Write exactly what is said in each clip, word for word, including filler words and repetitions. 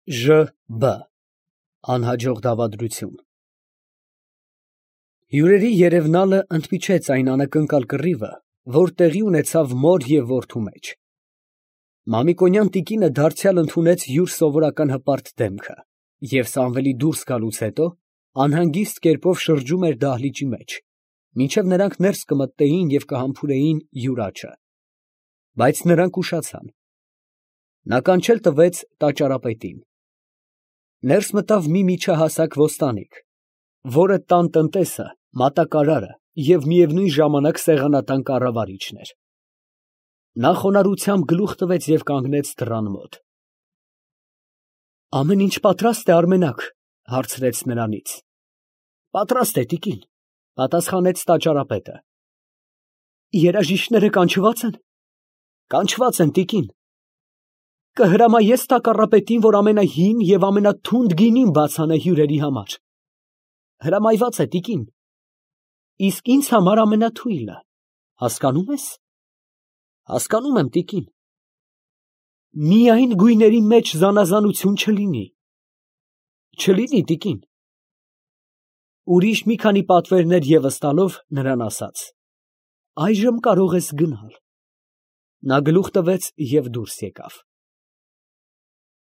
Ժ Բ Անհաջող դավադրություն։ Հյուրերի երևնալը ընդմիջեց այն անակնկալ կռիվը, որ տեղի ունեցավ մոր և որդու մեջ։ Մամիկոնյան տիկինը դարձյալ ընդունեց յուր սովորական հպարտ դեմքը և Սամվելի դուրս գալուց հետո անհանգիստ կերպով շրջում էր դահլիճի մեջ, մինչև նրանք ներս կմտնեին և կհամբուրեին յուր աջը։ Բայց նրանք ուշացան։ Նա կանչել տվեց տաճարապետին։ Ներս մտավ մի միջահասակ ոստանիկ, որը տան տնտեսը, մատակարարը և միևնույն ժամանակ սեղանատան կառավարիչն էր։ Նա խոնարհությամբ գլուխ տվեց և կանգնեց դռան մոտ։ ֊ Ամեն ինչ պատրաստ է, Արմենակ, ֊ հարցրեց նրանից։ ֊ Պատրաստ է, տիկին, ֊ պատասխանեց տաճարապետը։ ֊ Երաժիշտները կանչվա՞ծ են։ ֊ Կանչված են, տիկին։ ֊ Կհրամայե՞ս տակառապետին, որ ամենահին և ամենաթունդ գինին բաց անե հյուրերի համար։ ֊ Հրամայված է, տիկին։ ֊ Իսկ ինձ համար ամենաթույլը, հասկանո՞ւմ ես։ ֊ Հասկանում եմ, տիկին։ ֊ Միայն գույների մեջ զանազանություն չլինի։ ֊ Չլինի, տիկին։ Ուրիշ մի քանի պատվերներ ևս տալով, նրան ասաց. ֊ Այժմ կարող ես գնալ։ Նա գլուխ տվեց և դուրս եկավ։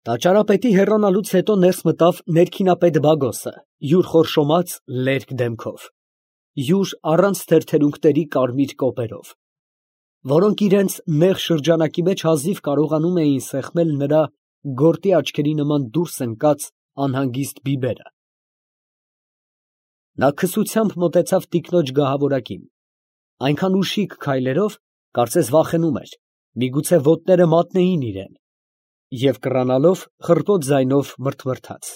Տաճարապետի հեռանալուց հետո ներս մտավ ներքինապետ Բագոսը յուր խորշոմած, լերկ դեմքով, յուր առանց թեթերունքների կարմիր կոպերով, որոնք իրանց նեղ շրջանակի մեջ հազիվ կարողանում էին սեղմել նրա գորտի աչքերի նման դուրս ընկած անհանգիստ բիբերը։ Նա քսությամբ մոտեցավ տիկնոջ գահավորակին, այնքան ուշիկ քայլերով, կարծես վախենում էր, միգուցե ոտները մատնեին իրան, և կռանալով խռպոտ ձայնով մրթմրթաց.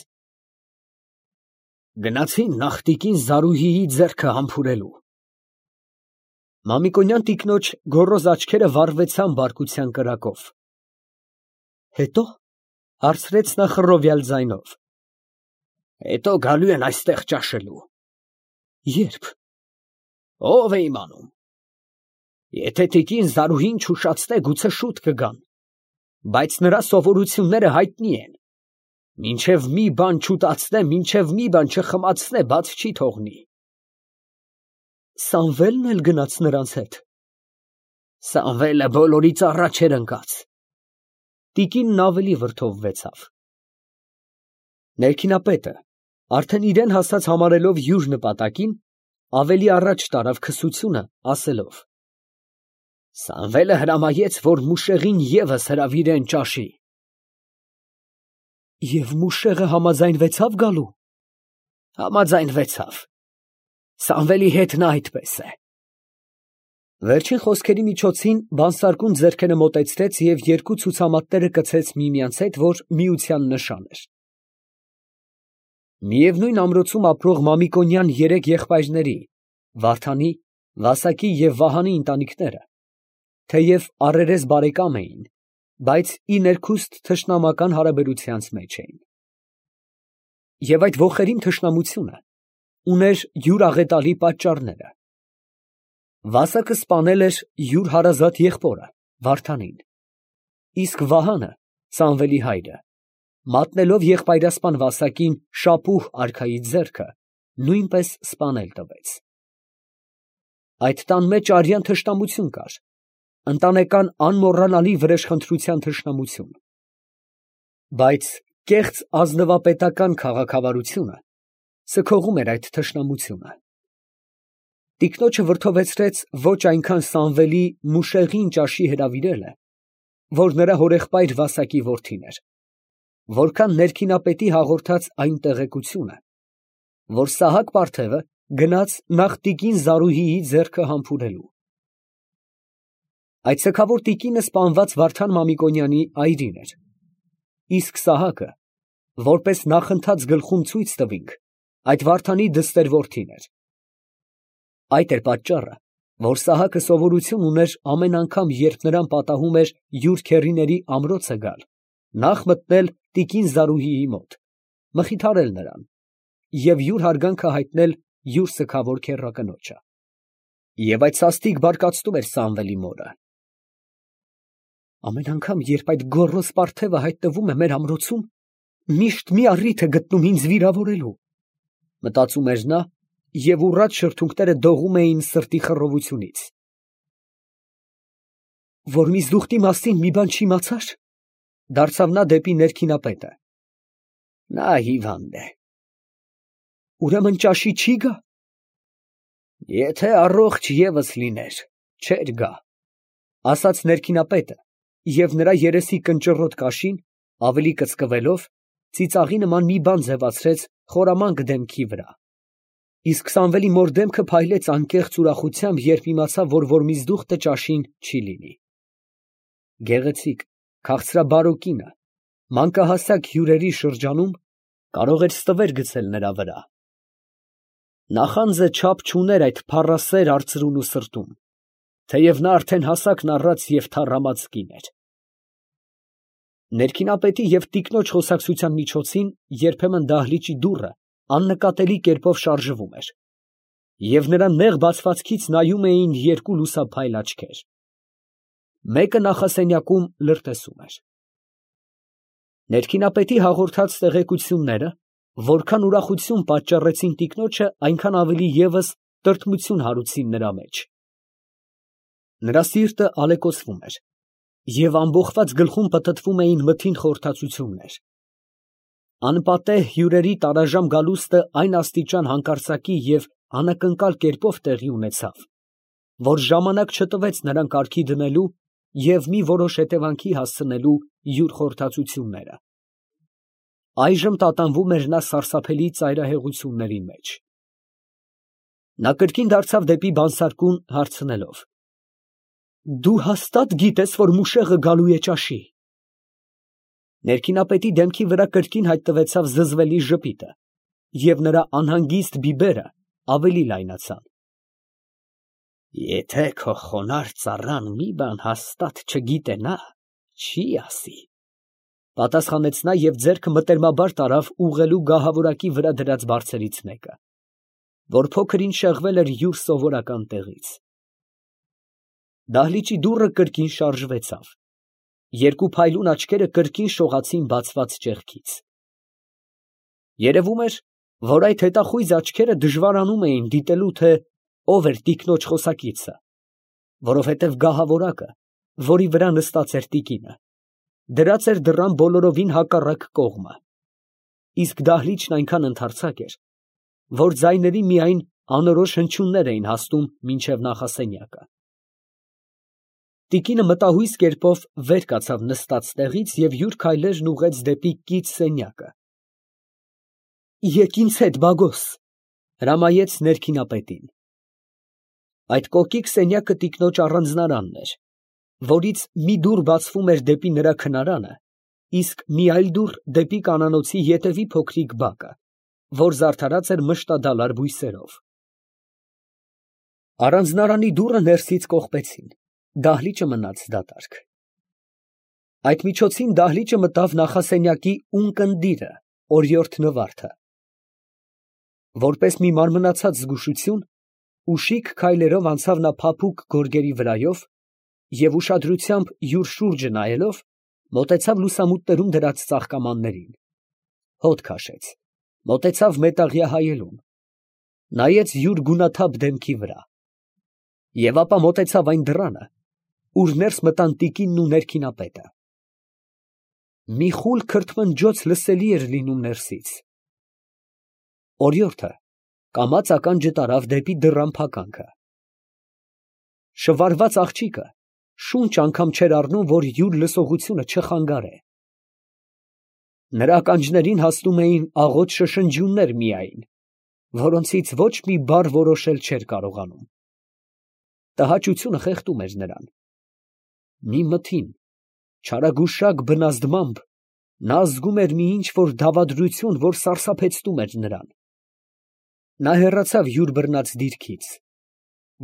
Գնացի՞ն նախ տիկին Զարուհիի ձեռքը համբուրելու։ Մամիկոնյան տիկնոջ գոռոզ աչքերը վառվեցան բարկության կրակով։ Հետո, ֊ հարցրեց նա խռովյալ ձայնով։ Հետո գալու են այստեղ ճաշելու։ Ե՞րբ։ Ո՞վ է իմանում։ Եթե տիկին Զարուհին չուշացնե, գուցե շուտ կգան, բայց նրա սովորությունները հայտնի են. մինչև մի բան չուտացնե, մինչև մի բան չխմացնե, բաց չի թողնի։ Սամվելն էլ գնաց նրանց հետ։ Սամվելը բոլորից առաջ էր ընկած։ Տիկինն ավելի վրդովվեցավ։ Ներքինապետը, արդեն իրան հասած համարելով յուր նպատակին, ավելի առաջ տարավ քսությունը, ասելով. Սամվելը հրամայեց, որ մուշեղին ևս հրավիրեն ճաշի։ Եվ մուշեղը համաձայնվեցավ գալու։ Համաձայնվեցավ։ Սամվելի հետ նա այդպես է։ Վերջին խոսքերի միջոցին բանսարկուն ձեռքերը մոտեցրեց և երկու ցուցամատները կցեց միմյանց հետ, որ միության նշան էր։ Միևնույն ամրոցում ապրող Մամիկոնյան երեք եղբայրների՝ Վարդանի, Վասակի և Վահանի ընտանիքները, թեև առերես բարեկամ էին, բայց ի ներքուստ թշնամական հարաբերությանց մեջ էին։ Եվ այդ ոխերիմ թշնամությունը ուներ յուր աղետալի պատճառները։ Վասակը սպանել էր յուր հարազատ եղբորը Վարդանին, իսկ Վահանը, Սամվելի հայրը, մատնելով եղբայրասպան Վասակին շապուհ արքայի ձեռքը, նույնպես սպանել տվեց։ Այդ տան մեջ արյան թշնամություն կար, ընտանեկան անմոռանալի վրեժխնդրության թշնամություն։ Բայց կեղծ ազնվապետական քաղաքավարությունը սգողում էր այդ թշնամությունը։ Տիկնոջը վրդովեցրեց ոչ այնքան Սամվելի մուշեղին ճաշի հրավիրելը, որ նրա հորեղբայր Վասակի որդին էր, որքան ներքինապետի հաղորդած այն տեղեկությունը, որ Սահակ պարթևը գնաց նախ տիկին Զարուհիի ձեռքը համբուրելու։ Այդ սգավոր տիկինը սպանված Վարդան Մամիկոնյանի այրին էր, իսկ Սահակը, որպես նախընթաց գլխում ցույց տվինք, այդ Վարդանի դստեր որդին էր։ Այդ էր պատճառը, որ Սահակը սովորություն ուներ ամեն անգամ, երբ նրան պատահում էր յուր քեռիների ամրոցը գալ, նախ մտնել տիկին Զարուհիի մոտ, մխիթարել նրան և յուր հարգանքը հայտնել յուր սգավոր քեռակնոջը։ Եվ այդ սաստիկ բարկացնում էր Սամվելի մորը։ Ամեն անգամ, երբ այդ գոռոզ պարթևը հայտնվում է մեր ամրոցում, Միշտ մի առիթ է գտնում ինձ վիրավորելու, մտածում էր նա, և ուռած շրթունքները դողում էին սրտի խռովությունից։ Որ միզդուխտի մասին մի բան չիմացա՞ր, դարձավ նա դեպի ներքինապետը։ Նա հիվանդ է։ Ուրեմն ճաշի չի գա։ Եթե առողջ ևս լիներ, չէր գա, ասաց ներքինապետը, և նրա երեսի կնճռոտ կաշին, ավելի կծկվելով, ծիծաղի նման մի բան ձևացրեց խորամանկ դեմքի վրա։ Իսկ Սամվելի մոր դեմքը փայլեց անկեղծ ուրախությամբ, երբ իմացավ, որ Որմիզդուխտը ճաշին չի լինի։ Գեղեցիկ, քաղցրաբարո կինը, մանկահասակ հյուրերի շրջանում կարող էր ստվեր գցել նրա վրա։ Նախանձը չափ չուներ այդ փառասեր արծրուն ու սրտում, թեև նա արդեն հասակն առած և թառամած կին էր։ Ներքինապետի և տիկնոջ խոսակցության միջոցին երբեմն դահլիճի դուռը աննկատելի կերպով շարժվում էր, և նրա նեղ բացվածքից նայում էին երկու լուսափայլ աչքեր։ Մեկը նախասենյակում լրտեսում էր։ Ներքինապետի հաղորդած տեղեկությունները որքան ուրախություն պատճառեցին տիկնոջը, այնքան ավելի ևս տրտմություն հարուցին նրա մեջ։ Նրա սիրտը ալեկոծվում էր, և ամբոխված գլխում պտտվում էին մթին խորհրդածություններ։ Անպատեհ հյուրերի տարաժամ գալուստը այն աստիճան հանկարծակի և անակնկալ կերպով տեղի ունեցավ, որ ժամանակ չտվեց նրան կարգի դնելու և մի որոշ հետևանքի հասցնելու յուր խորհրդածությունները։ Այժմ տատանվում էր նա սարսափելի ծայրահեղությունների մեջ։ Նա կրկին դարձավ դեպի բանսարկուն, հարցնելով. Դու հաստա՞տ գիտես, որ մուշեղը գալու է ճաշի։ Ներքինապետի դեմքի վրա կրկին հայտնվեցավ զզվելի ժպիտը, և նրա անհանգիստ բիբերը ավելի լայնացան։ Եթե քո խոնարհ ծառան մի բան հաստատ չգիտենա, չի ասի, պատասխանեց նա և ձեռքը մտերմաբար տարավ ուղղելու գահավորակի վրա դրած բարձերից մեկը, որ փոքր ինչ շեղվել էր յուր սովորական տեղից։ Դահլիճի դուռը կրկին շարժվեցավ։ Երկու փայլուն աչքերը կրկին շողացին բացված ճեղքից։ Երևում էր, որ այդ հետախույզ աչքերը դժվարանում էին դիտելու, թե ով էր տիկնոջ խոսակիցը, որովհետև գահավորակը, որի վրա նստած էր տիկինը, դրած էր դռան բոլորովին հակառակ կողմը, իսկ դահլիճն այնքան ընդարձակ էր, որ ձայների միայն անորոշ հնչյուններ էին հասնում մինչև նախասենյակը։ Տիկինը մտահույս կերպով վեր կացավ նստած տեղից և յուր քայլերն ուղղեց դեպի կից սենյակը։ Եկ ինձ հետ, բագոս, հրամայեց ներքինապետին։ Այդ կոկիկ սենյակը տիկնոջ առանձնարանն էր, որից մի դուռ բացվում էր դեպի նրա քնարանը, իսկ մի այլ դուռ դեպի կանանոցի ետևի փոքրիկ բակը, որ զարդարած էր մշտադալար բույսերով։ Առանձնարանի դուռը ներսից կողպեցին, դահլիճը մնաց դատարկ։ Այդ միջոցին դահլիճը մտավ նախասենյակի ունկնդիրը, օրիորդ Նվարդը։ Որպես մի մարմնացած զգուշություն, ուշիկ քայլերով անցավ նա փափուկ գորգերի վրայով և ուշադրությամբ յուր շուրջը նայելով, մոտեցավ լուսամուտներում դրած ծաղկամաններին, հոտ քաշեց, մոտեցավ մետաղյա հայելուն, նայեց յուր գունաթափ դեմքի վրա, և ապա մոտեցավ այն դռանը, ուր ներս մտան տիկինն ու ներքինապետը։ Մի խուլ քրթմնջոց լսելի էր լինում ներսից։ Օրիորդը կամաց ականջը տարավ դեպի դռան փականքը։ Շվարված աղջիկը շունչ անգամ չէր առնում, որ յուր լսողությունը չխանգարե։ Նրա ականջներին հասնում էին աղոտ շշնջյուններ միայն, որոնցից ոչ մի բառ որոշել չէր կարողանում։ Տհաճությունը խեղդում էր նրան։ Մի մթին, չարագուշակ բնազդմամբ նա զգում էր մի ինչ֊որ դավադրություն, որ սարսափեցնում էր նրան։ Նա հեռացավ յուր բռնած դիրքից,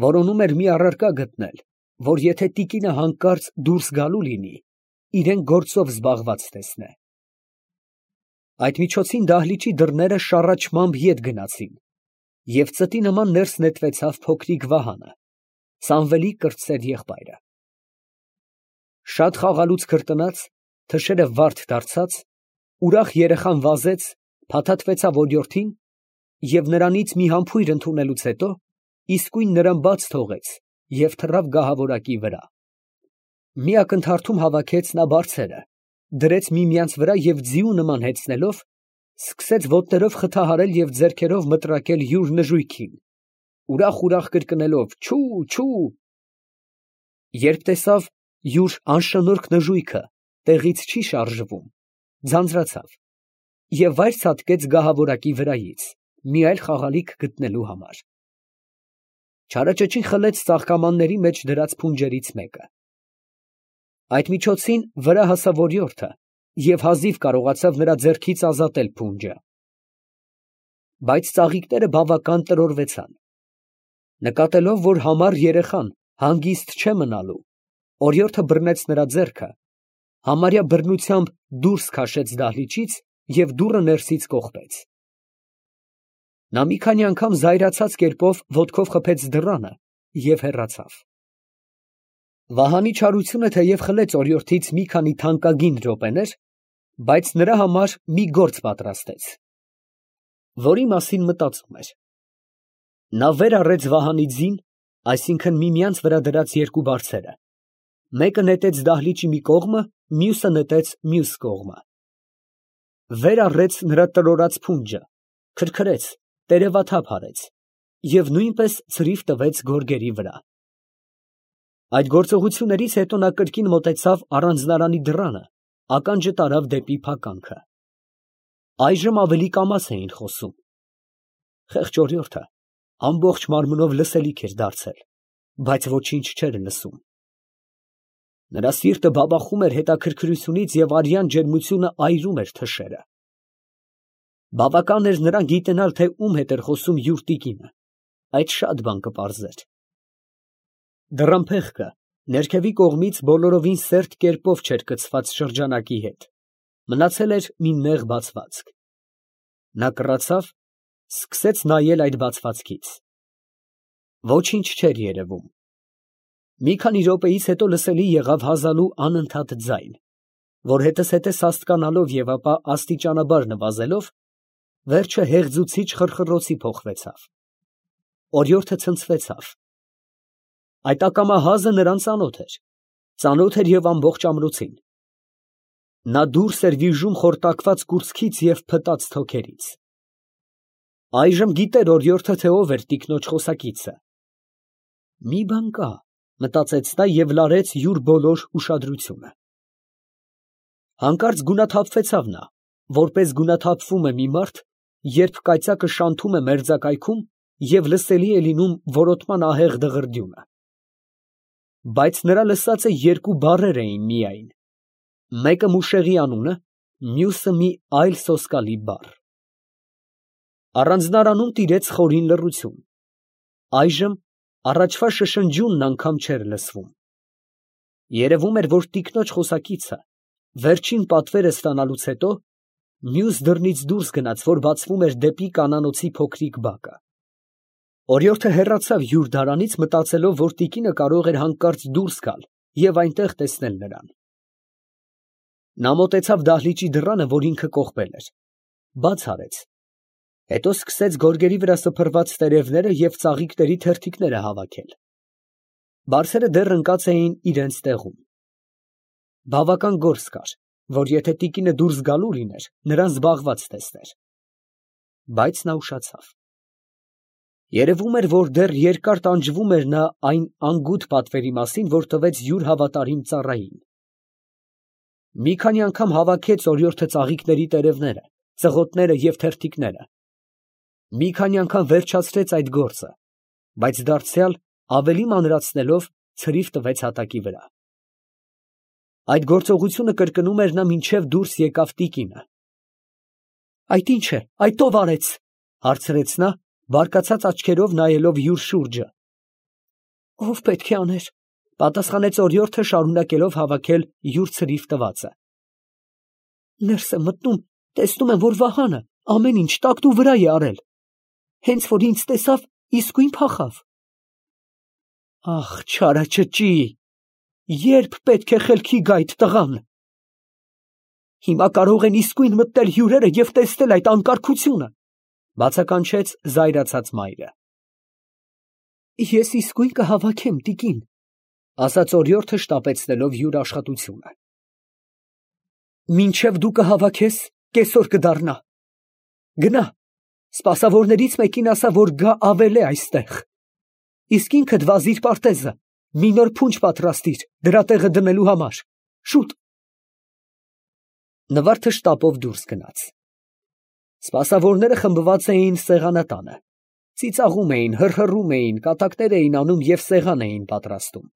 որոնում էր մի առարկա գտնել, որ եթե տիկինը հանկարծ դուրս գալու լինի, իրեն գործով զբաղված տեսնե։ Այդ միջոցին դահլիճի դռները շառաչմամբ ետ գնացին, և ծտի նման ներս նետվեցավ փոքրիկ Վահանը, Սամվելի կրտսեր եղբայրը։ Շատ խաղալուց քրտնած, թշերը վարդ դարձած, ուրախ երեխան վազեց, փաթաթվեցավ օրիորդին և նրանից մի համբույր ընդունելուց հետո իսկույն նրան բաց թողեց և թռավ գահավորակի վրա. մի ակնթարթում հավաքեց նա բարձերը, դրեց միմյանց վրա և ձիու նման հեծնելով, սկսեց ոտներով խթահարել և ձեռքերով մտրակել յուր նժույգին, ուրախ֊ուրախ կրկնելով. «Չու, չու»։ Երբ տեսավ յուր անշնորհք նժույգը տեղից չի շարժվում, ձանձրացավ և վայր ցատկեց գահավորակի վրայից, մի այլ խաղալիք գտնելու համար. չարաճճին խլեց ծաղկամանների մեջ դրած փունջերից մեկը. այդ միջոցին վրա հասավ օրիորդը և հազիվ կարողացավ նրա ձեռքից ազատել փունջը. բայց ծաղիկները բավական տրորվեցան. նկատելով, որ համառ երեխան հանգիստ չէ մնալու, օրիորդը բռնեց նրա ձեռքը, համարյա բռնությամբ դուրս քաշեց դահլիճից և դուռը ներսից կողպեց. նա մի քանի անգամ զայրացած կերպով ոտքով խփեց դռանը և հեռացավ. Վահանի չարությունը թեև խլեց օրիորդից մի քանի թանկագին րոպեներ, բայց նրա համար մի գործ պատրաստեց, որի մասին մտածում էր. նա վեր առեց Վահանի ձին, այսինքն միմյանց վրա դրած երկու բարձերը, մեկը նետեց դահլիճի մի կողմը, մյուսը նետեց մյուս կողմը, վեր առեց նրա տրորած փունջը, քրքրեց, տերևաթափ արեց և նույնպես ցրիվ տվեց գորգերի վրա. այդ գործողություններից հետո նա կրկին մոտեցավ առանձնարանի դռանը, ականջը տարավ դեպի փականքը. այժմ ավելի կամաց էին խոսում. խեղճ օրիորդը ամբողջ մարմնով լսելիք էր դարձել, բայց ոչինչ չէր լսում. նրա սիրտը բաբախում էր հետաքրքրությունից և արյան ջերմությունը այրում էր թշերը. բավական էր նրան գիտենալ, թե ում հետ էր խոսում յուր տիկինը, այդ շատ բան կպարզեր. դռամփեղկը ներքևի կողմից բոլորովին սերտ կերպով չէր կցված շրջանակի հետ, մնացել էր մի նեղ բացվածք. նա կռացավ, սկսեց նայել այդ բացվածքից. ոչինչ չէր երևում. մի քանի րոպեից հետո լսելի եղավ հազալու անընդհատ ձայն, որ հետզհետե սաստկանալով և ապա աստիճանաբար նվազելով, վերջը հեղձուցիչ խռխռոցի փոխվեցավ. օրիորդը ցնցվեցավ. այդ ակամա հազը նրան ծանոթ էր, ծանոթ էր և ամբողջ ամրոցին. նա դուրս էր վիժում խորտակված կուրծքից և փտած թոքերից. այժմ գիտեր օրիորդը, թե ով էր տիկնոջ խոսակիցը. մի բան կա, մտածեց նա և լարեց յուր բոլոր ուշադրությունը. հանկարծ գունաթափվեցավ նա, որպես գունաթափվում է մի մարդ, երբ կայծակը շանթում է մերձակայքում և լսելի է լինում որոտման ահեղ դղրդյունը. բայց նրա լսածը երկու բառեր էին միայն, մեկը մուշեղի անունը, մյուսը մի այլ սոսկալի բառ. առանձնարանում տիրեց խորին լռություն. այժմ առաջվա շշնջյունն անգամ չէր լսվում. երևում էր, որ տիկնոջ խոսակիցը վերջին պատվերը ստանալուց հետո մյուս դռնից դուրս գնաց, որ բացվում էր դեպի կանանոցի փոքրիկ բակը. օրիորդը հեռացավ յուր դարանից, մտածելով, որ տիկինը կարող էր հանկարծ դուրս գալ և այնտեղ տեսնել նրան. նա մոտեցավ դահլիճի դռանը, որ ինքը կողպել էր, բաց արեց, հետո սկսեց գորգերի վրա սփռված տերևները և ծաղիկների թերթիկները հավաքել. բարձերը դեռ ընկած էին իրենց տեղում. բավական գործ կար, որ եթե տիկինը դուրս գալու լիներ, նրան զբաղված տեսներ. բայց նա ուշացավ. երևում էր, որ դեռ երկար տանջվում էր նա այն անգութ պատվերի մասին, որ տվեց յուր հավատարիմ ծառային. մի քանի անգամ հավաքեց օրիորդը ծաղիկների տերևները, ծղոտները և թերթիկները, մի քանի անգամ վերջացրեց այդ գործը, բայց դարձյալ ավելի մանրացնելով ցրիվ տվեց հատակի վրա. այդ գործողությունը կրկնում էր նա, մինչև դուրս եկավ տիկինը. այդ ի՞նչ է, այդ ո՞վ արեց, հարցրեց նա, բարկացած աչքերով նայելով յուր շուրջը. ով պետք է աներ, պատասխանեց օրիորդը, շարունակելով հավաքել յուր ցրիվ տվածը. ներս եմ մտնում, տեսնում եմ, որ Վահանը ամեն ինչ տակտու վրա է արել, հենց որ ինձ տեսավ, իսկույն փախավ. ահ, չարաճճի, երբ պետք է խելքի գա այդ տղան, Հիմա կարող են իսկույն մտնել հյուրերը և տեսնել այդ անկարգությունը, բացականչեց զայրացած մայրը։ Ես իսկույն կհավաքեմ, տիկին, ասաց օրիորդը շտապեցնելով յուր աշխատությունը։ Մինչև դու կհավաքես, կեսօր կդառնա։ Գնա, սպասավորներից մեկին ասա, որ գա ավել է այստեղ։ Իսկ ինքդ վազիր պարտեզը, մի նոր փունջ պատրաստիր դրա տեղը դնելու համար, շուտ։ Նվարդը շտապով դուրս գնաց։ Սպասավորները խմբված էին սեղանատանը, ծիծաղում էին, հռհռում էին, կատակներ էին անում և սեղան էին պատրաստում։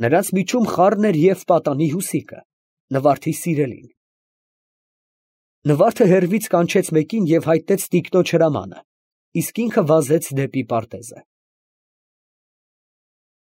Նրանց միջում խառն էր և պատանի Հուսիկը, Նվարդի սիրելին։ Նվարդը հեռվից կանչեց մեկին և հայտնեց տիկնոջ հրամանը, իսկ ինքը վազեց դեպի պարտեզը։